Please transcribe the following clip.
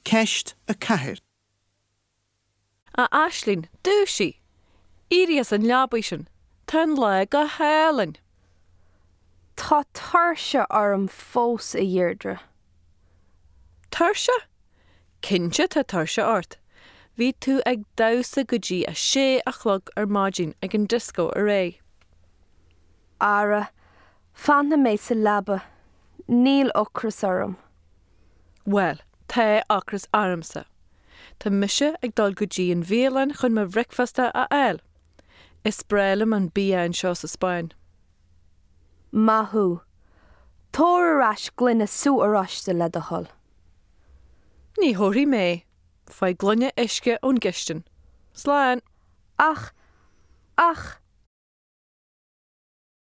Ceist 4. A Aislinn, dúisigh! Éirigh as an leabaidh sin! Tá an lá go hálainn! Tá tuirse orm fós, a Dheirdre. Tuirse? Cinnte tá tuirse ort! Bhí tú ag damhsa go dtí a sé a chlog ar maidin ag an dioscó aréir. Ara, fanfaidh mé sa leaba. Níl ocras orm. Bhuel, tá ocras ormsa. Tá mise ag dul go dtí an bhialann chun mo bhricfeasta a fháil. Is breá liom an bia anseo sa Spáinn. Maith thú. Tabhair ar ais gloine sú oráiste le do thoil. Ní thabharfaidh mé. Faigh gloine uisce ón gcistin. Slán! Ach, ach.